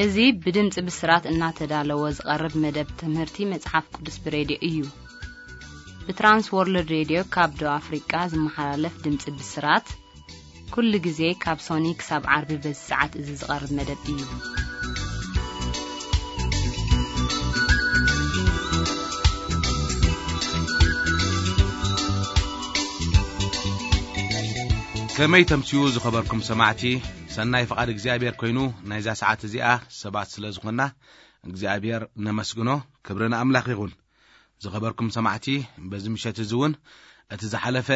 እዚ ብድምፂ ብስራት እናተዳለወ ዝቐርብ መደብ ትምህርቲ መጽሓፍ ቅዱስ ብሬድዮ እዩ። ብትራንስ ወርልድ ሬድዮ ካብ ደቡብ ኣፍሪቃ ዝመሓላለፍ ድምፂ ብስራት፣ ኩሉ ግዜ ካብ ሶኒ ክሳብ ዓርቢ በዚ ሰዓት እዚ ዝቐርብ መደብ እዩ። ከመይ ተምስዩ ዝኸበርኩም ሰማዕቲ፣ ሰናይ ፍቓድ እግዚኣብሔር ኮይኑ ናይዛ ሰዓት እዚኣ ሰባት ስለ ዝኾንና እግዚኣብሔር ነመስግኖ። ክብሪ ንኣምላኽ ይኹን። ዝኸበርኩም ሰማዕቲ፣ በዚ ምሸት እዚ እውን እቲ ዝሓለፈ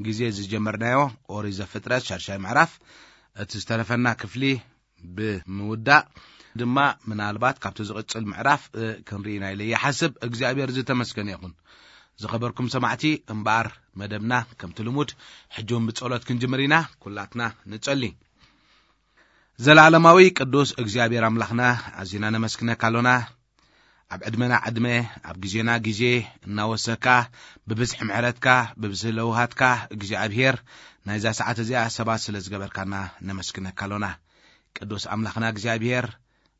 ግዜ ዝጀመርናዮ ኦሪት ዘፍጥረት ሻድሻይ ምዕራፍ እቲ ዝተረፈና ክፍሊ ብምውዳእ ድማ ምናልባት ካብቲ ዝቕጽል ምዕራፍ ክንርኢ ኢና ኢለ ይሓስብ። እግዚኣብሔር ዝተመስገነ ይኹን። ዝኸበርኩም ሰማዕቲ፣ እምበኣር መደብና ከምቲ ልሙድ ሕጂ እውን ብጸሎት ክንጅምር ኢና። ኩላትና ንጸሊ። ዘላለማዊ ቅዱስ እግዚኣብሔር ኣምላኽና፣ ኣዚና ነመስግነካ ኣሎና። ኣብ ዕድመና ዕድመ፣ ኣብ ግዜና ግዜ እናወሰካ፣ ብብዝሒ ምሕረትካ፣ ብብዝሒ ለውሃትካ እግዚኣብሔር ናይዛ ሰዓት እዚኣ ሰባት ስለ ዝገበርካና ነመስግነካ ኣሎና። ቅዱስ ኣምላኽና እግዚኣብሔር፣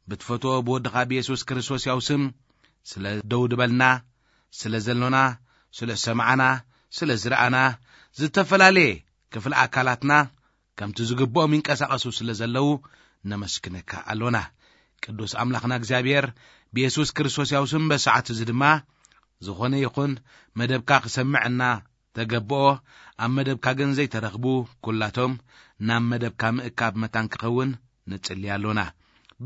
ብትፈትዎ ብወድኻ ብየሱስ ክርስቶስ ያው ስም ስለ ደው ድበልና፣ ስለ ዘሎና፣ ስለ ሰማዕና፣ ስለ ዝረኣና፣ ዝተፈላለየ ክፍሊ ኣካላትና ከምቲ ዝግብኦም ይንቀሳቐሱ ስለ ዘለዉ ነመስግነካ ኣሎና። ቅዱስ ኣምላኽና እግዚኣብሔር፣ ብየሱስ ክርስቶስ ያው ስም በሰዓት እዚ ድማ ዝኾነ ይኹን መደብካ ክሰምዕ እናተገብኦ፣ ኣብ መደብካ ግን ዘይተረኽቡ ኩላቶም ናብ መደብካ ምእካብ መታን ክኸውን ንጽሊ ኣሎና።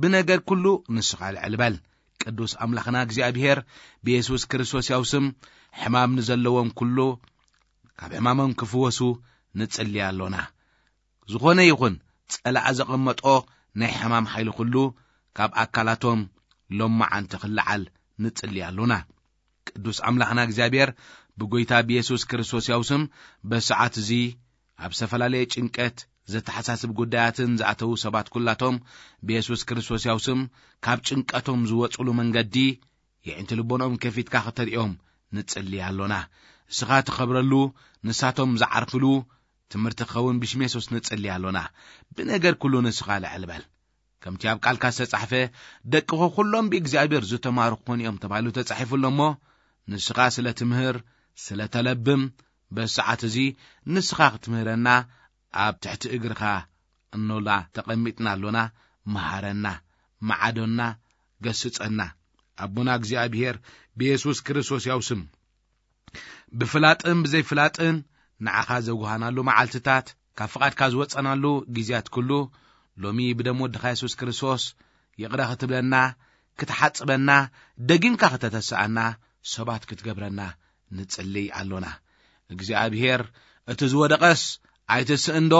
ብነገር ኩሉ ንስኻ ልዕል በል። ቅዱስ ኣምላኽና እግዚኣብሔር፣ ብየሱስ ክርስቶስ ያው ስም ሕማም ንዘለዎም ኩሉ ካብ ሕማሞም ክፍወሱ ንጽሊ ኣሎና። ዝኾነ ይኹን ጸላእ ዘቐመጦ ናይ ሕማም ሓይሊ ኩሉ ካብ ኣካላቶም ሎማዓንቲ ክለዓል ንጽሊ ኣሎና። ቅዱስ ኣምላኽና እግዚኣብሔር፣ ብጎይታ ብየሱስ ክርስቶስ ያው ስም በሰዓት እዚ ኣብ ዝተፈላለየ ጭንቀት ዘተሓሳስብ ጉዳያትን ዝኣተዉ ሰባት ኩላቶም ብየሱስ ክርስቶስ ያው ስም ካብ ጭንቀቶም ዝወጽሉ መንገዲ የዒንቲ ልቦንኦም ከፊትካ ከተርእዮም ንጽሊ ኣሎና። እስኻ ትኸብረሉ፣ ንሳቶም ዝዓርፍሉ ትምህርቲ ክኸውን ብሽም የሱስ ንጽሊ ኣሎና። ብነገር ኩሉ ንስኻ ልዕል በል። ከምቲ ኣብ ቃልካ ዝተጻሕፈ፣ "ደቅኹ ኩሎም ብእግዚኣብሔር ዝተማሩ ክኾኑ እዮም" ተባሂሉ ተጻሒፉ ኣሎ እሞ፣ ንስኻ ስለ ትምህር፣ ስለ ተለብም፣ በዚ ሰዓት እዚ ንስኻ ክትምህረና ኣብ ትሕቲ እግርኻ እኖላ ተቐሚጥና ኣሎና። መሃረና፣ መዓዶና፣ ገስጸና። ኣቦና እግዚኣብሔር ብየሱስ ክርስቶስ ያው ስም ብፍላጥን ብዘይፍላጥን ንዓኻ ዘጉሃናሉ መዓልትታት፣ ካብ ፍቓድካ ዝወጸናሉ ግዜያት ኩሉ፣ ሎሚ ብደም ወድኻ የሱስ ክርስቶስ ይቕረ ክትብለና፣ ክትሓጽበና፣ ደጊምካ ከተተስኣና፣ ሰባት ክትገብረና ንጽልይ ኣሎና። እግዚኣብሔር፣ "እቲ ዝወደቐስ ኣይትስእንዶ?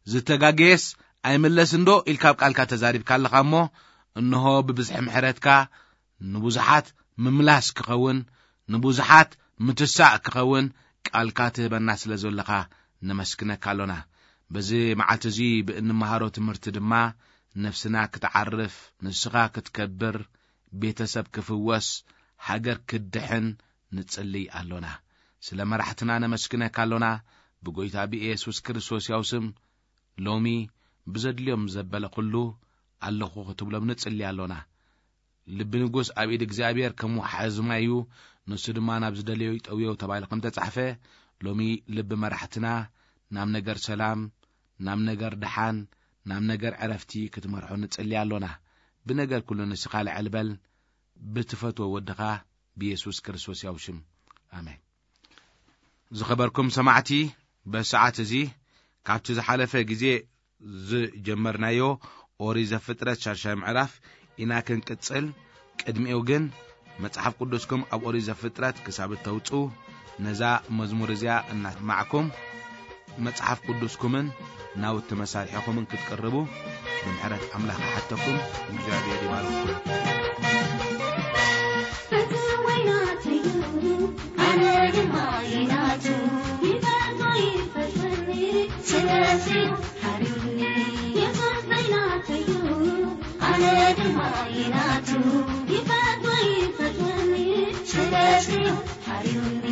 ዝተጋገየስ ኣይምለስንዶ?" ኢልካ ኣብ ቃልካ ተዛሪብካ ኣለኻ እሞ፣ እንሆ ብብዝሒ ምሕረትካ ንብዙሓት ምምላስ ክኸውን፣ ንብዙሓት ምትሳእ ክኸውን ቃልካ ትህበና ስለ ዘለኻ ነመስግነካ ኣሎና። በዚ መዓልቲ እዚ ብእንመሃሮ ትምህርቲ ድማ ነፍስና ክትዓርፍ፣ ንስኻ ክትከብር፣ ቤተሰብ ክፍወስ፣ ሃገር ክትድሕን ንጽልይ ኣሎና። ስለ መራሕትና ነመስግነካ ኣሎና። ብጎይታ ብኢየሱስ ክርስቶስ ያው ስም ሎሚ ብዘድልዮም ዘበለ ኩሉ ኣለኹ ክትብሎም ንጽሊ ኣሎና። ልቢ ንጉስ ኣብ ኢድ እግዚኣብሔር ከም ወሓዚ ማይ እዩ፣ ንሱ ድማ ናብ ዝደለዮ ይጠውዮ ተባሂሉ ከም ተጻሕፈ፣ ሎሚ ልቢ መራሕትና ናብ ነገር ሰላም፣ ናብ ነገር ደሓን፣ ናብ ነገር ዕረፍቲ ክትመርሖ ንጽሊ ኣሎና። ብነገር ኩሉ ንስኻ ልዕል በል፣ ብትፈትዎ ወድኻ ብየሱስ ክርስቶስ ያው ሽም። ኣሜን። ዝኸበርኩም ሰማዕቲ፣ በሰዓት እዚ ካብቲ ዝሓለፈ ግዜ ዝጀመርናዮ ኦሪት ዘፍጥረት ሻድሻይ ምዕራፍ ኢና ክንቅጽል። ቅድሚኡ ግን መጽሓፍ ቅዱስኩም ኣብ ኦሪት ዘፍጥረት ክሳብ እተውጽኡ ነዛ መዝሙር እዚኣ እናሰማዕኩም መጽሓፍ ቅዱስኩምን ናውቲ መሳርሒኹምን ክትቅርቡ ብምሕረት ኣምላኽ ይሓተኩም። እግዚኣብሔር ይባርኩም። ፈትወይ ናተይ እዩ፣ ኣነ ድማ እየ ናቱ። ይፈትዎ ይፈትወኒ፣ ስለዚ እዩ ሓርዩኒ። የሱስ ናይ ናተይ እዩ፣ ኣነ ድማ እየ ናቱ። ይፈትዎ ይፈትወኒ፣ ስለዚ እዩ ሓርዩኒ።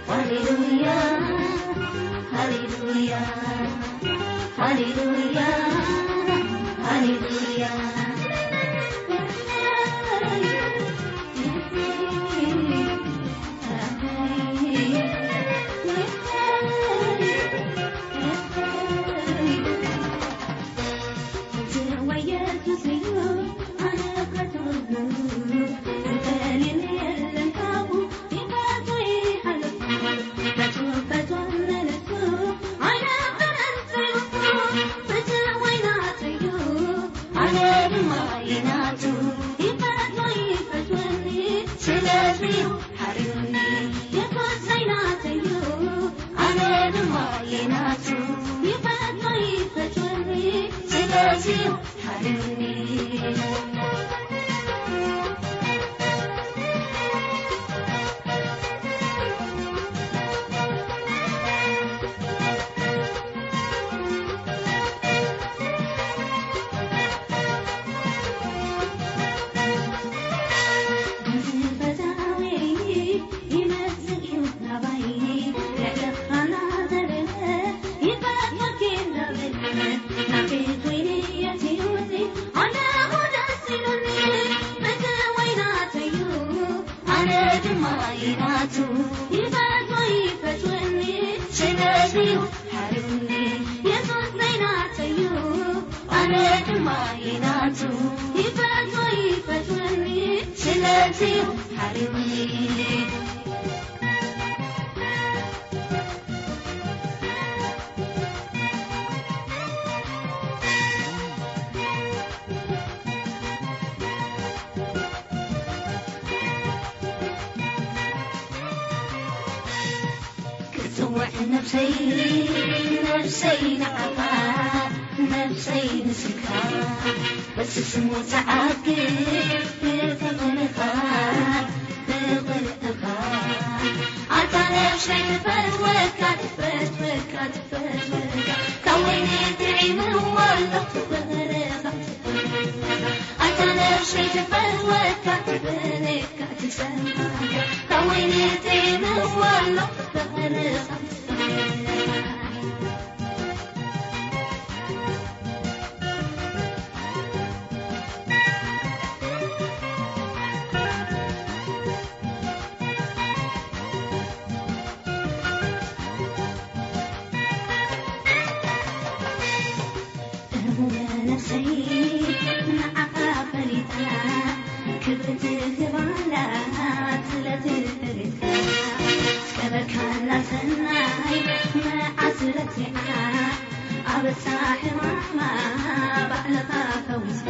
ሃሌሉያ፣ ሃሌሉያ፣ ሃሌሉያ፣ ሃሌሉያ። ይፈትወኒ፣ ይፈትወኒ፣ ስለዚ ሓርኒ። ክትጽውዕ ነብሰይ፣ ነብሰይ ንዓኻ፣ ነብሰይ ንስኻ፣ በስስሙ ተዓግብ ብፍቕርኻ፣ ብቕርብኻ። ኣታ ነብሰይ ትፈትወካ፣ ትፈትወካ፣ ትፈትወካ፣ ካብ ወይኒ ጥዒምዋ ኣለኹ ብፍቕርኻ። ኣታ ነብሰይ ትፈትወካ፣ ትፈትወካ፣ ትጸምሓካ፣ ካብ ወይኒ ጥዒምዋ ኣለኹ ብፍቕርኻ። ነብሰይ ንዓኻ ፈሊጣ ክብቲ ክባላት ስለ ትፈለጥካ፣ ዝገበርካላ ሰናይ መዓስ ረሲዓ፣ ኣበሳ ሕማማ ባዕልኻ ፈዊስካ።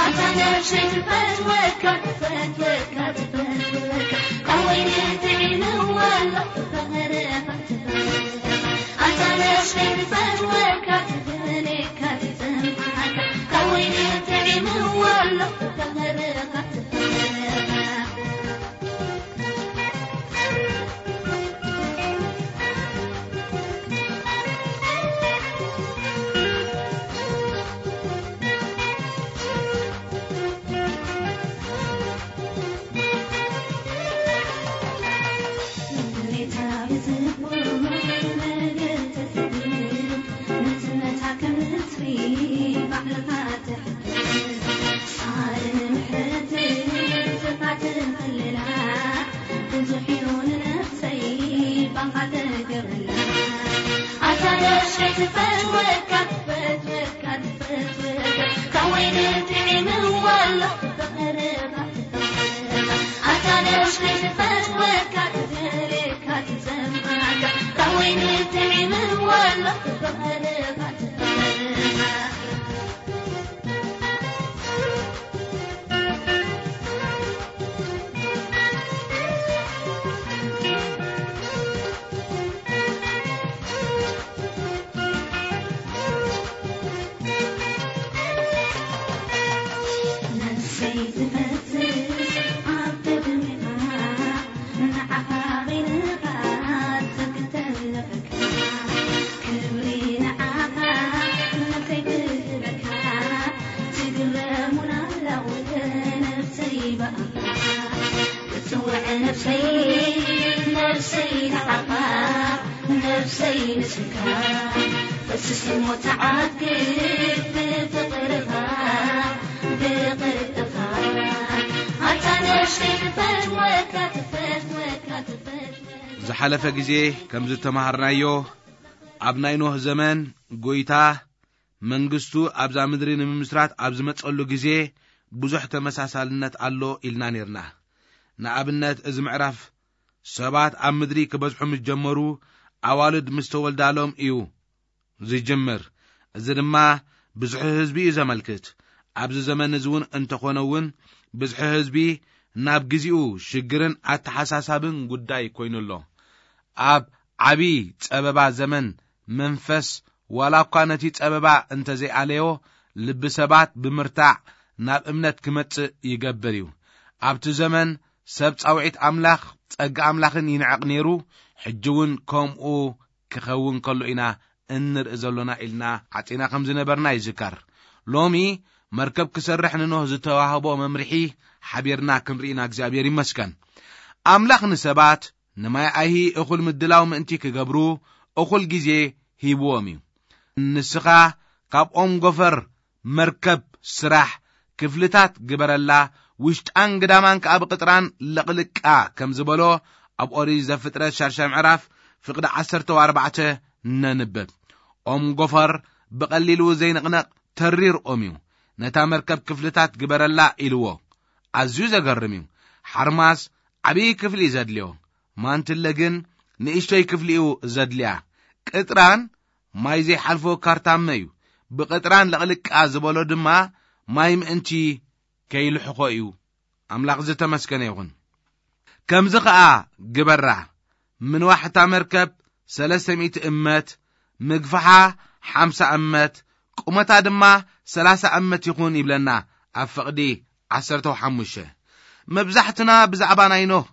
ኣታ ነብሰይ ትፈትወካ፣ ትፈትወካ፣ ትፈትወካ፣ ካብ ወይኒ ጥዒምዋ ኣለኹ ፍቕርኻ። ኣታ ነብሰይ ትፈትወካ፣ ትፈትወካ፣ ትጸምሓካ፣ ካብ ወይኒ ጥዒምዋ ኣለኹ ፍቕርኻ። ዝሓለፈ ግዜ ከም ዝተማሃርናዮ፣ ኣብ ናይ ኖህ ዘመን ጎይታ መንግስቱ ኣብዛ ምድሪ ንምምስራት ኣብ ዝመጸሉ ግዜ ብዙሕ ተመሳሳልነት ኣሎ ኢልና ኔርና። ንኣብነት፣ እዚ ምዕራፍ ሰባት ኣብ ምድሪ ክበዝሑ ምስ ጀመሩ፣ ኣዋልድ ምስ ተወልዳሎም እዩ ዝጅምር። እዚ ድማ ብዙሕ ህዝቢ እዩ ዘመልክት። ኣብዚ ዘመን እዚ እውን እንተኾነ እውን፣ ብዝሒ ህዝቢ ናብ ግዚኡ ሽግርን ኣተሓሳሳብን ጉዳይ ኮይኑ ኣሎ። ኣብ ዓቢ ጸበባ ዘመን መንፈስ ዋላ እኳ ነቲ ጸበባ እንተዘይኣለዮ፣ ልቢ ሰባት ብምርታዕ ናብ እምነት ክመጽእ ይገብር እዩ። ኣብቲ ዘመን ሰብ ጻውዒት ኣምላኽ፣ ጸጋ ኣምላኽን ይንዕቕ ነይሩ፣ ሕጂ እውን ከምኡ ክኸውን ከሎ ኢና እንርኢ ዘሎና ኢልና ዓጺና ከም ዝነበርና ይዝከር። ሎሚ መርከብ ክሰርሕ ንኖህ ዝተዋህቦ መምርሒ ሓቢርና ክንርኢና እግዚኣብሔር ይመስገን። ኣምላኽ ንሰባት ንማይ ኣይሂ እኹል ምድላው ምእንቲ ክገብሩ እኹል ግዜ ሂብዎም እዩ። ንስኻ ካብ ኦም ጎፈር መርከብ ስራሕ፣ ክፍልታት ግበረላ፣ ውሽጣን ግዳማን ከኣ ብቕጥራን ለቕልቃ ከም ዝበሎ ኣብ ኦሪት ዘፍጥረት ሻድሻይ ምዕራፍ ፍቕዲ ዓሰርተ ኣርባዕተ ነንብብ። ኦም ጎፈር ብቐሊሉ ዘይንቕነቕ ተሪር ኦም እዩ። ነታ መርከብ ክፍልታት ግበረላ ኢልዎ። ኣዝዩ ዘገርም እዩ። ሓርማዝ ዓብዪ ክፍሊ እዩ ዘድልዮ። ማንትለ ግን ንእሽቶይ ክፍሊ እዩ ዘድልያ። ቅጥራን ማይ ዘይሓልፎ ካርታመ እዩ። ብቕጥራን ለቕልቃ ዝበሎ ድማ ማይ ምእንቲ ከይልሕኾ እዩ። ኣምላኽ ዝተመስገነ ይኹን። ከምዚ ኸኣ ግበራ፣ ምንዋሕ እታ መርከብ ሰለስተ ሚእቲ እመት፣ ምግፋሓ ሓምሳ እመት፣ ቁመታ ድማ ሰላሳ እመት ይኹን ይብለና ኣብ ፍቕዲ ዓሰርተ ሓሙሽተ። መብዛሕትና ብዛዕባ ናይ ኖህ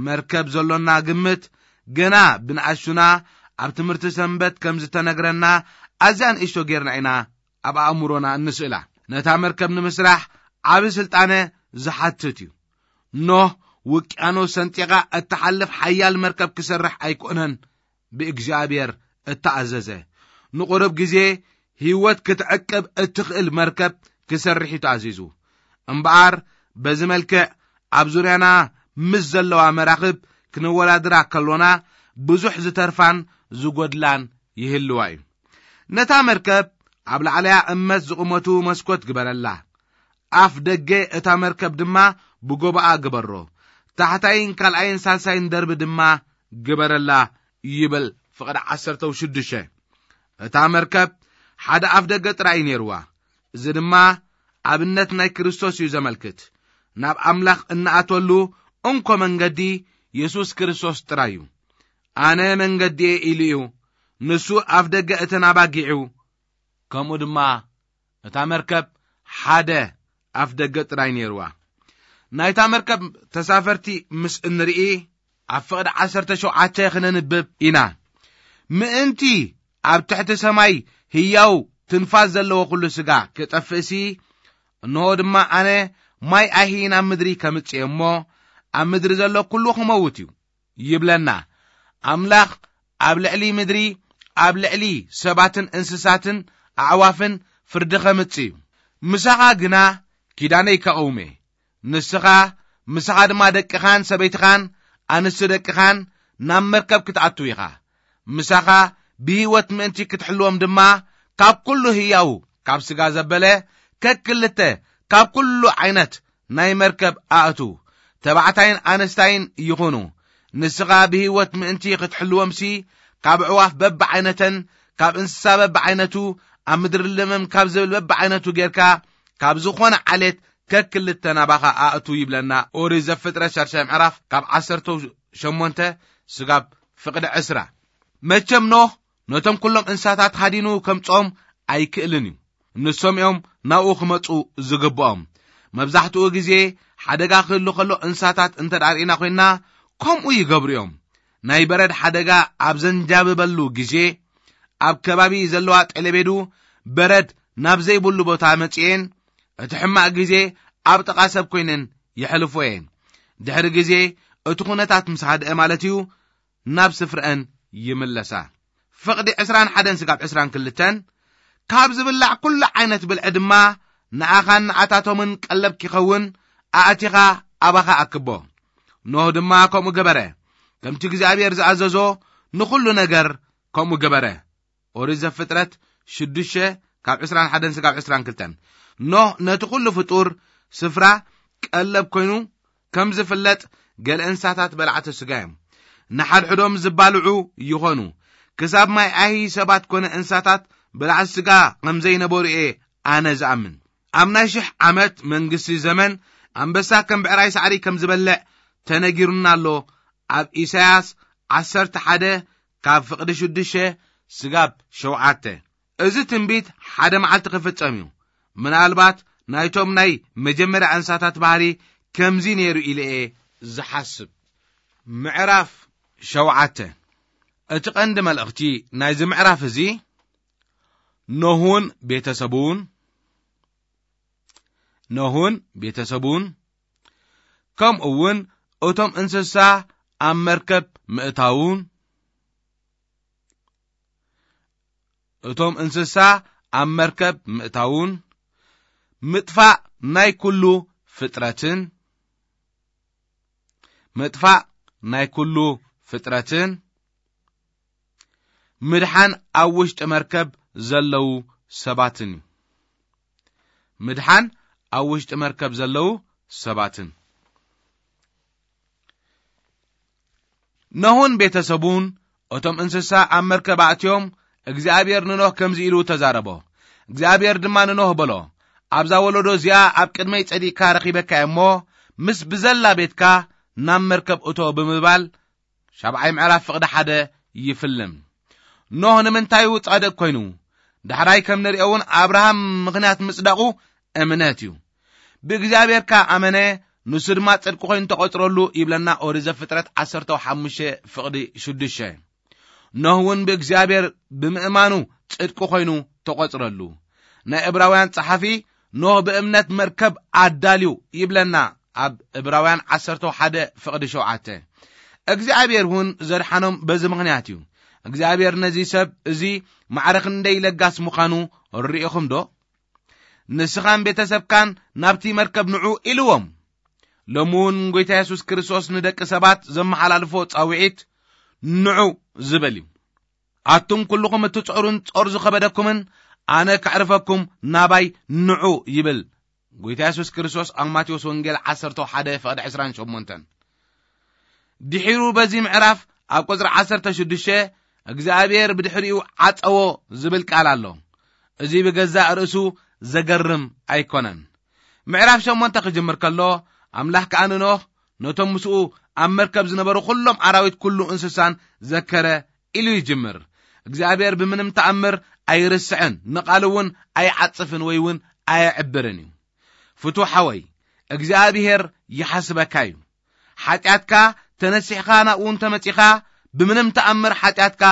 መርከብ ዘሎና ግምት ገና ብንኣሽቱና ኣብ ትምህርቲ ሰንበት ከም ዝተነግረና ኣዝያ ንእሽቶ ጌርና ኢና ኣብ ኣእምሮና እንስእላ። ነታ መርከብ ንምስራሕ ዓቢ ስልጣነ ዝሓትት እዩ። ኖህ ውቅያኖስ ሰንጢቓ እትሓልፍ ሓያል መርከብ ክሰርሕ ኣይኮነን ብእግዚኣብሔር እተኣዘዘ። ንቑሩብ ግዜ ህይወት ክትዕቅብ እትኽእል መርከብ ክሰርሕ እዩ ተኣዚዙ። እምበኣር በዚ መልክዕ ኣብ ዙርያና ምስ ዘለዋ መራኽብ ክንወዳድራ ከሎና ብዙሕ ዝተርፋን ዝጎድላን ይህልዋ እዩ። ነታ መርከብ ኣብ ላዕለያ እመት ዝቑመቱ መስኮት ግበረላ። ኣፍ ደገ እታ መርከብ ድማ ብጎባኣ ግበሮ። ታሕታይን ካልኣይን ሳልሳይን ደርቢ ድማ ግበረላ ይብል ፍቕዲ ዓሰርተ ሽዱሽተ። እታ መርከብ ሓደ ኣፍ ደገ ጥራይ እዩ ነይርዋ። እዚ ድማ ኣብነት ናይ ክርስቶስ እዩ ዘመልክት። ናብ ኣምላኽ እንኣተሉ እንኮ መንገዲ የሱስ ክርስቶስ ጥራይ እዩ። ኣነ መንገዲ እየ ኢሉ እዩ። ንሱ ኣፍ ደገ እተን ኣባጊዑ፣ ከምኡ ድማ እታ መርከብ ሓደ ኣፍ ደገ ጥራይ ነይርዋ። ናይታ መርከብ ተሳፈርቲ ምስ እንርኢ ኣብ ፍቕዲ ዓሰርተ ሸውዓተ ክነንብብ ኢና። ምእንቲ ኣብ ትሕቲ ሰማይ ህያው ትንፋስ ዘለዎ ኩሉ ስጋ ክጠፍእሲ፣ እንሆ ድማ ኣነ ማይ ኣይሂ ናብ ምድሪ ከምጽእ እሞ ኣብ ምድሪ ዘሎ ኩሉ ክመውት እዩ ይብለና። ኣምላኽ ኣብ ልዕሊ ምድሪ፣ ኣብ ልዕሊ ሰባትን እንስሳትን ኣዕዋፍን ፍርዲ ከምጽእ እዩ። ምሳኻ ግና ኪዳነይ ከቐውሜ። ንስኻ፣ ምሳኻ ድማ ደቅኻን ሰበይትኻን ኣንስቲ ደቅኻን ናብ መርከብ ክትኣትው ኢኻ። ምሳኻ ብህይወት ምእንቲ ክትሕልዎም ድማ ካብ ኩሉ ህያው፣ ካብ ስጋ ዘበለ፣ ከክልተ ካብ ኩሉ ዓይነት ናይ መርከብ ኣእቱ፣ ተባዕታይን ኣነስታይን ይኹኑ። ንስኻ ብህይወት ምእንቲ ክትሕልዎምሲ፣ ካብ ኣዕዋፍ በብዓይነተን፣ ካብ እንስሳ በብዓይነቱ፣ ኣብ ምድሪ ለመም ካብ ዝብል በብዓይነቱ ጌርካ፣ ካብ ዝኾነ ዓሌት ከክልተ ናባኻ ኣእቱ ይብለና ኦሪት ዘፍጥረት ሻድሻይ ምዕራፍ ካብ ዓሰርተ ሸሞንተ ስጋብ ፍቕዲ ዕስራ። መቸም ኖህ ነቶም ኩሎም እንስሳታት ሃዲኑ ከምጽኦም ኣይክእልን እዩ። ንሶም እዮም ናብኡ ክመጹ ዝግብኦም። መብዛሕትኡ ግዜ ሓደጋ ክህሉ ከሎ እንስሳታት እንተ ደኣ ርኢና ኮይንና ከምኡ ይገብሩ እዮም። ናይ በረድ ሓደጋ ኣብ ዘንጃብበሉ ግዜ ኣብ ከባቢ ዘለዋ ጠለቤዱ በረድ ናብ ዘይብሉ ቦታ መጺኤን እቲ ሕማቕ ግዜ ኣብ ጥቓ ሰብ ኮይነን የሕልፎ እየን። ድሕሪ ግዜ እቲ ኩነታት ምስ ሃድአ ማለት እዩ ናብ ስፍረአን ይምለሳ። ፍቕዲ ዕስራን ሓደን ስጋብ ዕስራን ክልተን ካብ ዝብላዕ ኩሉ ዓይነት ብልዒ ድማ ንኣኻን ንዓታቶምን ቀለብ ኪኸውን ኣእቲኻ ኣባኻ ኣክቦ። ኖህ ድማ ከምኡ ገበረ። ከምቲ እግዚኣብሔር ዝኣዘዞ ንኹሉ ነገር ከምኡ ገበረ። ኦሪት ዘፍጥረት ሽዱሽተ ካብ ዕስራን ሓደን ስጋብ ዕስራን ክልተን። ኖህ ነቲ ኩሉ ፍጡር ስፍራ ቀለብ ኮይኑ ከም ዝፍለጥ ገለ እንስሳታት በላዕቲ ስጋ እዮም። ንሓድሕዶም ዝባልዑ ይኾኑ። ክሳብ ማይ ኣይሂ ሰባት ኮነ እንስሳታት በላዕቲ ስጋ ከም ዘይነበሩ እየ ኣነ ዝኣምን። ኣብ ናይ ሽሕ ዓመት መንግስቲ ዘመን ኣንበሳ ከም ብዕራይ ሳዕሪ ከም ዝበልዕ ተነጊሩና ኣሎ። ኣብ ኢሳያስ ዓሰርተ ሓደ ካብ ፍቕዲ ሽዱሽተ ስጋብ ሸውዓተ። እዚ ትንቢት ሓደ መዓልቲ ክፍጸም እዩ። ምናልባት ናይቶም ናይ መጀመርያ እንስሳታት ባህሪ ከምዚ ነይሩ ኢለ እየ ዝሓስብ። ምዕራፍ ሸውዓተ። እቲ ቀንዲ መልእኽቲ ናይዚ ምዕራፍ እዚ፣ ኖህውን ቤተሰቡን፣ ኖህውን ቤተሰቡን፣ ከምኡ እውን እቶም እንስሳ ኣብ መርከብ ምእታውን፣ እቶም እንስሳ ኣብ መርከብ ምእታውን፣ ምጥፋእ ናይ ኩሉ ፍጥረትን፣ ምጥፋእ ናይ ኩሉ ፍጥረትን፣ ምድሓን ኣብ ውሽጢ መርከብ ዘለዉ ሰባትን እዩ። ምድሓን ኣብ ውሽጢ መርከብ ዘለዉ ሰባትን። ኖህን ቤተሰቡን፣ እቶም እንስሳ ኣብ መርከብ ኣእትዮም፣ እግዚኣብሔር ንኖህ ከምዚ ኢሉ ተዛረቦ። እግዚኣብሔር ድማ ንኖህ በሎ፣ ኣብዛ ወለዶ እዚኣ ኣብ ቅድመይ ጸዲቕካ ረኺበካ እየ እሞ፣ ምስ ብዘላ ቤትካ ናብ መርከብ እቶ ብምባል፣ ሻብዓይ ምዕራፍ ፍቕዲ ሓደ ይፍልም። ኖህ ንምንታይ እዩ ጻድቕ ኮይኑ? ዳሕራይ ከም ንሪኦ እውን ኣብርሃም ምኽንያት ምጽዳቑ እምነት እዩ። ብእግዚኣብሔር ከኣ ኣመነ፣ ንሱ ድማ ጽድቂ ኮይኑ ተቖጽረሉ ይብለና ኦሪት ዘፍጥረት ዓሰርተ ሓሙሽተ ፍቕዲ ሽዱሽተ። ኖህ እውን ብእግዚኣብሔር ብምእማኑ ጽድቂ ኮይኑ ተቖጽረሉ። ናይ ዕብራውያን ጸሓፊ ኖህ ብእምነት መርከብ ኣዳልዩ ይብለና ኣብ ዕብራውያን ዓሰርተ ሓደ ፍቕዲ ሸውዓተ። እግዚኣብሔር እውን ዘድሓኖም በዚ ምኽንያት እዩ። እግዚኣብሔር ነዚ ሰብ እዚ ማዕረ ክንደይ ለጋስ ምዃኑ ርኢኹም ዶ? ንስኻን ቤተሰብካን ናብቲ መርከብ ንዑ ኢልዎም። ሎሚ እውን ጎይታ የሱስ ክርስቶስ ንደቂ ሰባት ዘመሓላልፎ ጻውዒት ንዑ ዝብል እዩ። ኣቱም ኩልኹም እትጽዕሩን ጾር ዝኸበደኩምን፣ ኣነ ከዕርፈኩም ናባይ ንዑ ይብል ጎይታ የሱስ ክርስቶስ ኣብ ማቴዎስ ወንጌል ዓሰርተ ሓደ ፍቕዲ ዕስራን ሸሞንተን። ድሒሩ በዚ ምዕራፍ ኣብ ቁጽሪ ዓሰርተ ሽዱሽተ እግዚኣብሔር ብድሕሪኡ ዓጸዎ ዝብል ቃል ኣሎ። እዚ ብገዛእ ርእሱ ዘገርም ኣይኮነን። ምዕራፍ ሸሞንተ ክጅምር ከሎ፣ ኣምላኽ ከኣ ንኖህ ነቶም ምስኡ ኣብ መርከብ ዝነበሩ ኩሎም ኣራዊት ኩሉ እንስሳን ዘከረ ኢሉ ይጅምር። እግዚኣብሔር ብምንም ተኣምር ኣይርስዕን፣ ንቓሉ እውን ኣይዓጽፍን ወይ እውን ኣየዕብርን እዩ። ፍቱ ሓወይ፣ እግዚኣብሔር ይሓስበካ እዩ። ሓጢኣትካ ተነሲሕኻ ናብኡ እንተመጺኻ፣ ብምንም ተኣምር ሓጢኣትካ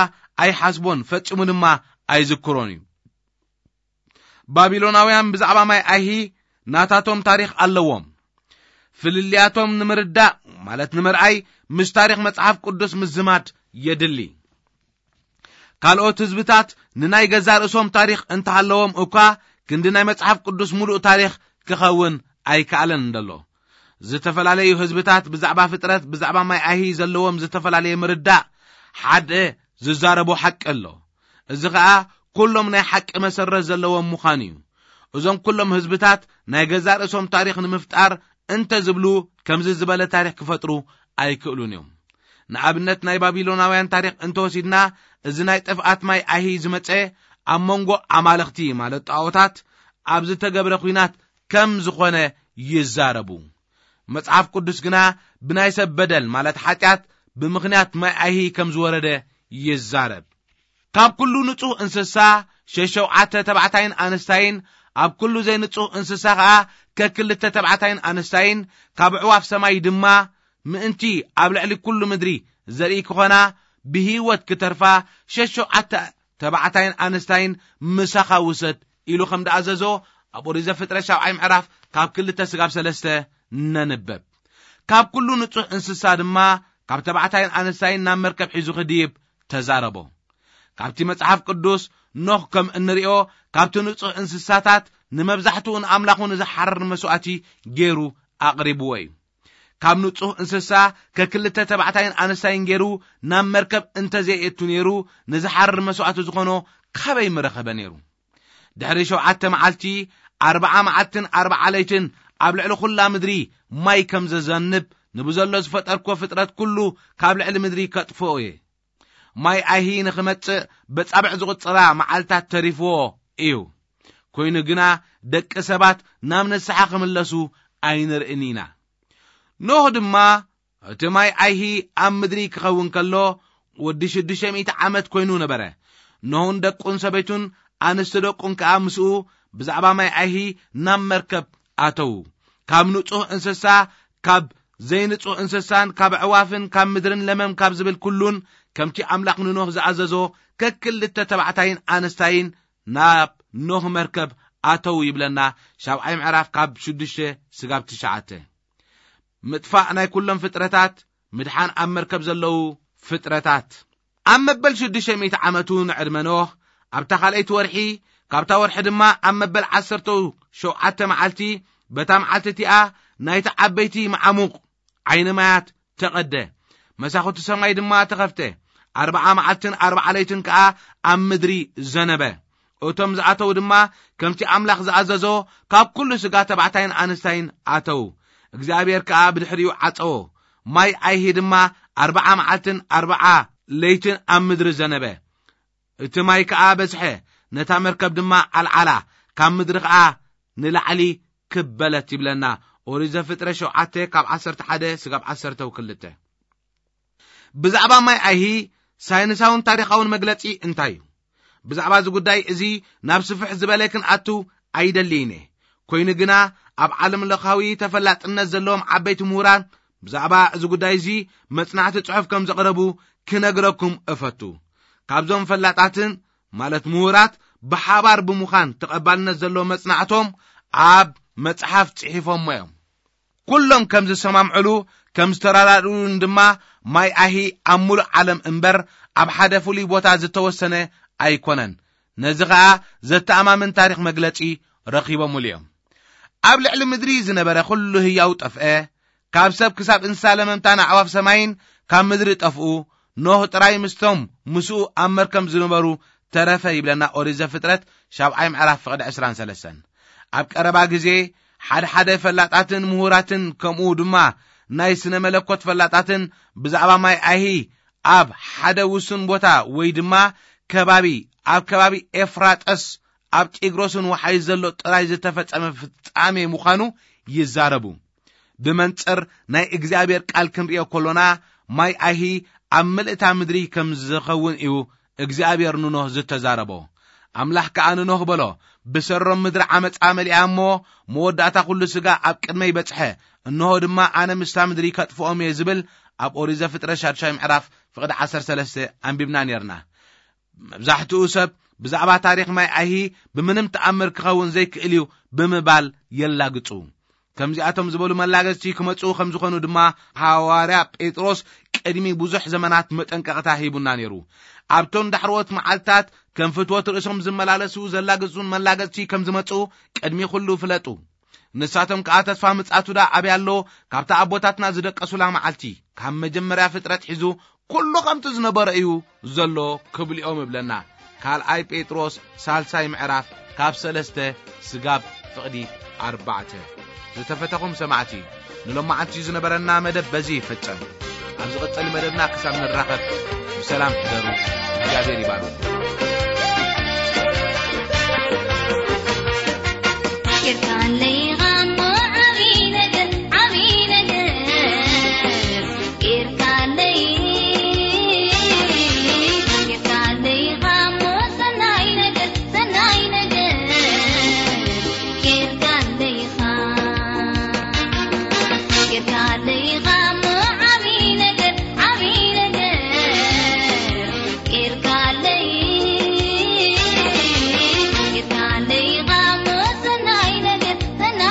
ኣይሓስቦን፣ ፈጺሙ ድማ ኣይዝክሮን እዩ። ባቢሎናውያን ብዛዕባ ማይ ኣይሂ ናታቶም ታሪኽ ኣለዎም። ፍልልያቶም ንምርዳእ፣ ማለት ንምርኣይ፣ ምስ ታሪኽ መጽሓፍ ቅዱስ ምዝማድ የድሊ። ካልኦት ህዝብታት ንናይ ገዛእ ርእሶም ታሪኽ እንተሃለዎም እኳ፣ ክንዲ ናይ መጽሓፍ ቅዱስ ምሉእ ታሪኽ ክኸውን ኣይከኣለን እንደሎ። ዝተፈላለዩ ህዝብታት ብዛዕባ ፍጥረት፣ ብዛዕባ ማይ ኣይሂ ዘለዎም ዝተፈላለየ ምርዳእ ሓደ ዝዛረቦ ሓቂ ኣሎ። እዚ ኸኣ ኩሎም ናይ ሓቂ መሰረት ዘለዎም ምዃኑ እዩ። እዞም ኩሎም ህዝብታት ናይ ገዛእ ርእሶም ታሪኽ ንምፍጣር እንተ ዝብሉ፣ ከምዚ ዝበለ ታሪኽ ክፈጥሩ ኣይክእሉን እዮም። ንኣብነት ናይ ባቢሎናውያን ታሪኽ እንተወሲድና፣ እዚ ናይ ጥፍኣት ማይ ኣይሂ ዝመጸ ኣብ መንጎ ኣማልኽቲ፣ ማለት ጣዖታት፣ ኣብ ዝተገብረ ኲናት ከም ዝኾነ ይዛረቡ። መጽሓፍ ቅዱስ ግና ብናይ ሰብ በደል፣ ማለት ሓጢኣት፣ ብምኽንያት ማይ ኣይሂ ከም ዝወረደ ይዛረብ። ካብ ኩሉ ንጹህ እንስሳ ሸሸውዓተ ተባዕታይን ኣንስታይን፣ ኣብ ኩሉ ዘይንጹህ እንስሳ ኸኣ ከክልተ ተባዕታይን ኣንስታይን፣ ካብ ኣዕዋፍ ሰማይ ድማ ምእንቲ ኣብ ልዕሊ ኩሉ ምድሪ ዘርኢ ክኾና፣ ብህይወት ክተርፋ ሸሸውዓተ ተባዕታይን ኣንስታይን ምሳኻ ውሰድ ኢሉ ከም ደኣዘዞ ኣብ ኦሪት ዘፍጥረት ሻብዓይ ምዕራፍ ካብ ክልተ ስጋብ ሰለስተ ነንበብ። ካብ ኩሉ ንጹህ እንስሳ ድማ ካብ ተባዕታይን ኣንስታይን ናብ መርከብ ሒዙ ክድይብ ተዛረቦ። ካብቲ መጽሓፍ ቅዱስ ኖህ ከም እንርእዮ ካብቲ ንጹህ እንስሳታት ንመብዛሕትኡ ንኣምላኹ ንዝሓርር መስዋእቲ ገይሩ ኣቕሪብዎ እዩ። ካብ ንጹህ እንስሳ ከክልተ ተባዕታይን ኣንስታይን ገይሩ ናብ መርከብ እንተዘየእቱ ነይሩ፣ ንዝሓርር መስዋእቲ ዝኾኖ ካበይ ምረኸበ ነይሩ? ድሕሪ ሸውዓተ መዓልቲ፣ ኣርብዓ መዓልትን ኣርብዓ ለይትን ኣብ ልዕሊ ኩላ ምድሪ ማይ ከም ዘዘንብ፣ ንብዘሎ ዝፈጠርኩዎ ፍጥረት ኩሉ ካብ ልዕሊ ምድሪ ከጥፍኦ እየ። ማይ ኣይሂ ንኽመጽእ በጻብዕ ዝቑጽራ መዓልታት ተሪፍዎ እዩ። ኮይኑ ግና ደቂ ሰባት ናብ ንስሓ ክምለሱ ኣይንርእን ኢና። ኖህ ድማ እቲ ማይ ኣይሂ ኣብ ምድሪ ክኸውን ከሎ ወዲ ሽዱሽተ ሚእቲ ዓመት ኮይኑ ነበረ። ኖህን ደቁን ሰበይቱን ኣንስቲ ደቁን ከኣ ምስኡ ብዛዕባ ማይ ኣይሂ ናብ መርከብ ኣተዉ። ካብ ንጹህ እንስሳ፣ ካብ ዘይንጹህ እንስሳን ካብ ኣዕዋፍን ካብ ምድርን ለመም ካብ ዝብል ኩሉን ከምቲ ኣምላኽ ንኖህ ዝኣዘዞ ከክልተ ተባዕታይን ኣንስታይን ናብ ኖህ መርከብ ኣተዉ ይብለና። ሻብዓይ ምዕራፍ ካብ ሽዱሽተ ስጋብ ትሽዓተ። ምጥፋእ ናይ ኩሎም ፍጥረታት፣ ምድሓን ኣብ መርከብ ዘለዉ ፍጥረታት። ኣብ መበል ሽዱሽተ ሚእቲ ዓመቱ ንዕድመ ኖህ፣ ኣብታ ካልኣይቲ ወርሒ፣ ካብታ ወርሒ ድማ ኣብ መበል ዓሰርተ ሸውዓተ መዓልቲ፣ በታ መዓልቲ እቲኣ ናይቲ ዓበይቲ መዓሙቕ ዓይኒ ማያት ተቐደ። መሳኹቲ ሰማይ ድማ ተኸፍተ። ኣርብዓ መዓልትን ኣርብዓ ለይትን ከኣ ኣብ ምድሪ ዘነበ። እቶም ዝኣተዉ ድማ ከምቲ ኣምላኽ ዝኣዘዞ ካብ ኩሉ ስጋ ተባዕታይን ኣንስታይን ኣተዉ። እግዚኣብሔር ከኣ ብድሕሪኡ ዓጸዎ። ማይ ኣይሂ ድማ ኣርብዓ መዓልትን ኣርብዓ ለይትን ኣብ ምድሪ ዘነበ። እቲ ማይ ከኣ በዝሐ፣ ነታ መርከብ ድማ ኣልዓላ፣ ካብ ምድሪ ከኣ ንላዕሊ ክበለት ይብለና። ኦሪት ዘፍጥረት ሸውዓተ ካብ ዓሰርተ ሓደ ስጋብ ዓሰርተ ክልተ። ብዛዕባ ማይ ኣይሂ ሳይንሳውን ታሪኻውን መግለጺ እንታይ እዩ? ብዛዕባ እዚ ጉዳይ እዚ ናብ ስፍሕ ዝበለ ክንኣቱ ኣይደልይን እየ። ኮይኑ ግና ኣብ ዓለም ለኻዊ ተፈላጥነት ዘለዎም ዓበይቲ ምሁራን ብዛዕባ እዚ ጉዳይ እዚ መጽናዕቲ ጽሑፍ ከም ዘቕረቡ ክነግረኩም እፈቱ። ካብዞም ፈላጣትን ማለት ምሁራት ብሓባር ብምዃን ተቐባልነት ዘለዎ መጽናዕቶም ኣብ መጽሓፍ ጽሒፎሞ እዮም። ኩሎም ከም ዝሰማምዕሉ ከም ዝተረዳድኡን ድማ ማይ ኣይሂ ኣብ ሙሉእ ዓለም እምበር ኣብ ሓደ ፍሉይ ቦታ ዝተወሰነ ኣይኮነን። ነዚ ኸኣ ዘተኣማምን ታሪኽ መግለጺ ረኺቦምሉ እዮም። ኣብ ልዕሊ ምድሪ ዝነበረ ኩሉ ህያው ጠፍአ። ካብ ሰብ ክሳብ እንስሳ ለመምታን ኣዕዋፍ ሰማይን ካብ ምድሪ ጠፍኡ። ኖህ ጥራይ ምስቶም ምስኡ ኣብ መርከብ ዝነበሩ ተረፈ ይብለና ኦሪት ዘፍጥረት ሻብዓይ ምዕራፍ ፍቕዲ ዕስራን ሰለስተን። ኣብ ቀረባ ግዜ ሓደ ሓደ ፈላጣትን ምሁራትን ከምኡ ድማ ናይ ስነ መለኮት ፈላጣትን ብዛዕባ ማይ ኣይሂ ኣብ ሓደ ውሱን ቦታ ወይ ድማ ከባቢ ኣብ ከባቢ ኤፍራጠስ ኣብ ጢግሮስን ወሓይ ዘሎ ጥራይ ዝተፈጸመ ፍጻሜ ምዃኑ ይዛረቡ። ብመንጽር ናይ እግዚኣብሔር ቃል ክንርእዮ ከሎና ማይ ኣይሂ ኣብ ምልእታ ምድሪ ከም ዝኸውን እዩ እግዚኣብሔር ንኖህ ዝተዛረቦ። ኣምላኽ ከኣ ንኖህ በሎ፣ ብሰሮም ምድሪ ዓመጻ መሊኣ እሞ መወዳእታ ኩሉ ስጋ ኣብ ቅድመይ በጽሐ፣ እንሆ ድማ ኣነ ምስታ ምድሪ ከጥፍኦም እየ ዝብል ኣብ ኦሪት ዘፍጥረት ሻድሻይ ምዕራፍ ፍቕዲ ዓሰርተ ሰለስተ ኣንቢብና ኔርና። መብዛሕትኡ ሰብ ብዛዕባ ታሪኽ ማይ ኣይሂ ብምንም ተኣምር ክኸውን ዘይክእል እዩ ብምባል የላግጹ። ከምዚኣቶም ዝበሉ መላገጽቲ ክመጽኡ ከም ዝኾኑ ድማ ሃዋርያ ጴጥሮስ ቅድሚ ብዙሕ ዘመናት መጠንቀቕታ ሂቡና ነይሩ። ኣብቶም ዳሕረዎት መዓልትታት ከም ፍትወት ርእሶም ዝመላለሱ ዘላግጹን መላገጽቲ ከም ዝመጽኡ ቅድሚ ኩሉ ፍለጡ። ንሳቶም ከኣ ተስፋ ምጽኣቱ ደኣ ኣበይ ኣሎ? ካብታ ኣቦታትና ዝደቀሱላ መዓልቲ፣ ካብ መጀመርያ ፍጥረት ሒዙ ኩሉ ከምቲ ዝነበረ እዩ ዘሎ ክብልኦም እብለና። ካልኣይ ጴጥሮስ ሳልሳይ ምዕራፍ ካብ ሰለስተ ስጋብ ፍቕዲ ኣርባዕተ። ዝተፈተኹም ሰማዕቲ፣ ንሎማዓንቲ ዝነበረና መደብ በዚ ይፍጸም። ኣብ ዝቕጸል መደብና ክሳብ ንራኸብ ብሰላም ሕደሩ። እግዚኣብሔር ይባርኩም። ጌርካለይ ኢኻ እሞ ዓብዪ ነገር፣ ዓብዪ ነገር። ጌርካለይ፣ ጌርካለይ ኢኻ እሞ ሰናይ ነገር፣ ሰናይ ነገር። ጌርካለይ ኢኻ፣ ጌርካለይ ኢኻ እሞ ዓብዪ ነገር፣ ዓብዪ ነገር። ጌርካለይ፣ ጌርካለይ ኢኻ እሞ ሰናይ ነገር፣ ሰናይ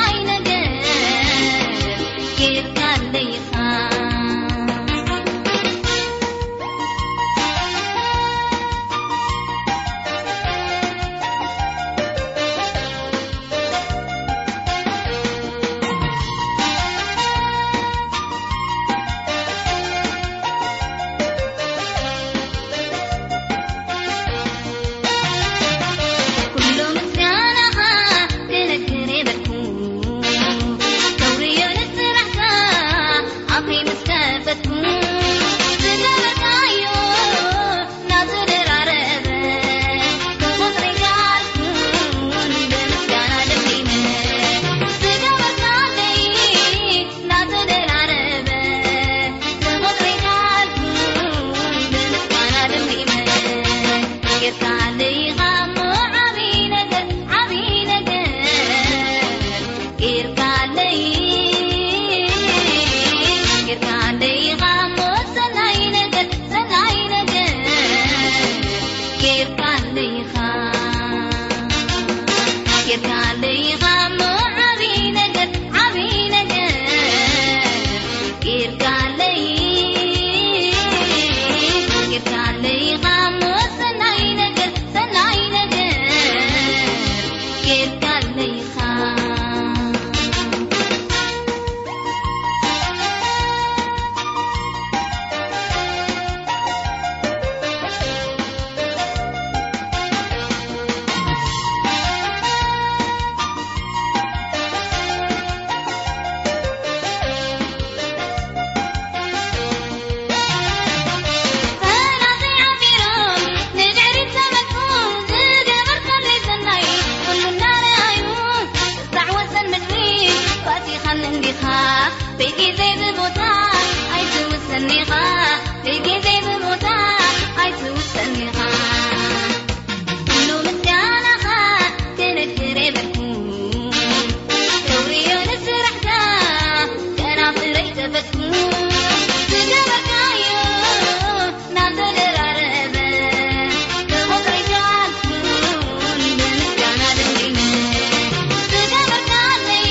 እንዲኻ ብጊዜ ብቦታ ኣይትውሰን ኢኻ፣ ብጊዜ ብቦታ ኣይትውሰን ኢኻ። ኩሉ ምስጋናኻ ክነግር የብልኩ፣ ተውርዮ ንስራሕካ ከናፍረይ ተፈትኩ። ዝገበርካዮ ናተደራረበ ክቆጽሮ ኣይቻልኩን፣ ብምስጋና ደምዲመ። ዝገበርካለይ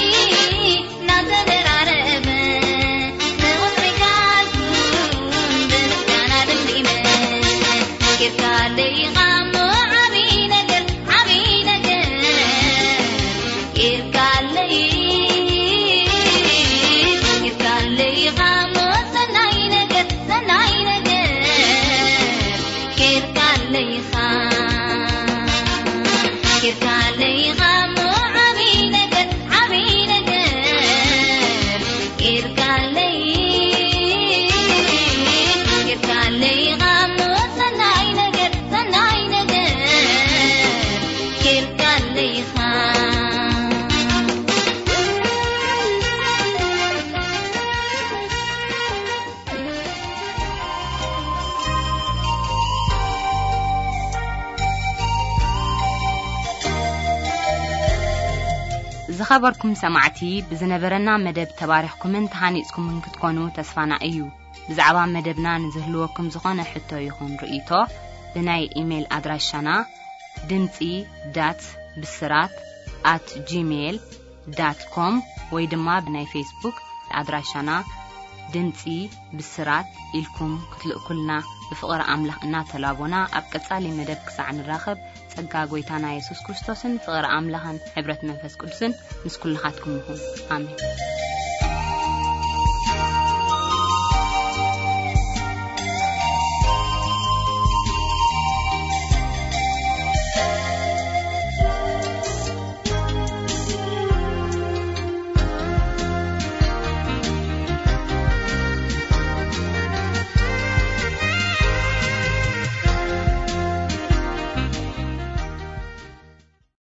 ናተደራረበ ክቆጽሮ ኣይቻልኩን፣ ብምስጋና ደምዲመ። ጌርካለይ ኢኻ እሞ ዓብዪ ነገር፣ ዓብዪ ነገር። ጌርካለይ፣ ጌርካለይ ኢኻ እሞ ሰናይ ነገር፣ ሰናይ ነገር። ጌርካለይ ኢኻ፣ ጌርካለይ ኢኻ እሞ ዓብዪ ነገር፣ ዓብዪ ነገር። ጌርካለይ፣ ጌርካለይ ኢኻ እሞ ሰናይ ነገር፣ ሰናይ ነገር። ጌርካለይ ኢኻ። ዝኸበርኩም ሰማዕቲ፣ ብዝነበረና መደብ ተባሪኽኩምን ተሃኒጽኩምን ክትኮኑ ተስፋና እዩ። ብዛዕባ መደብና ንዝህልወኩም ዝኾነ ሕቶ ይኹን ርእይቶ፣ ብናይ ኢሜይል ኣድራሻና ድምጺ ዳት ብስራት ኣት ጂሜይል ዳት ኮም ወይ ድማ ብናይ ፌስቡክ ኣድራሻና ድምጺ ብስራት ኢልኩም ክትልእኩልና ብፍቕሪ ኣምላኽ እናተላቦና፣ ኣብ ቀጻሊ መደብ ክሳዕ ንራኸብ፣ ጸጋ ጐይታና የሱስ ክርስቶስን ፍቕሪ ኣምላኽን ሕብረት መንፈስ ቅዱስን ምስ ኩልኻትኩም ይኹን። ኣሜን።